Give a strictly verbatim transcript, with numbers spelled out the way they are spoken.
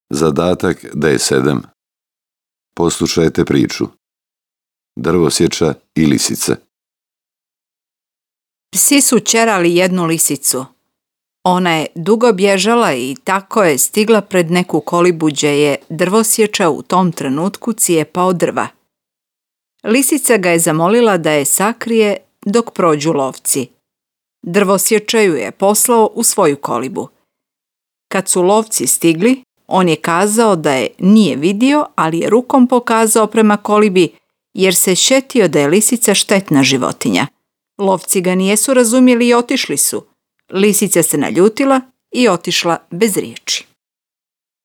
Zadatak D sedam. Poslušajte priču. Drvosječa i lisice. Psi su ćerali jednu lisicu. Ona je dugo bježala i tako je stigla pred neku kolibu gdje je drvosječa u tom trenutku cijepao drva. Lisica ga je zamolila da je sakrije dok prođu lovci. Drvosječa ju je poslao u svoju kolibu. Kad su lovci stigli, on je kazao da je nije vidio, ali je rukom pokazao prema kolibi jer se sjetio da je lisica štetna životinja. Lovci ga nijesu razumjeli i otišli su. Lisica se naljutila i otišla bez riječi.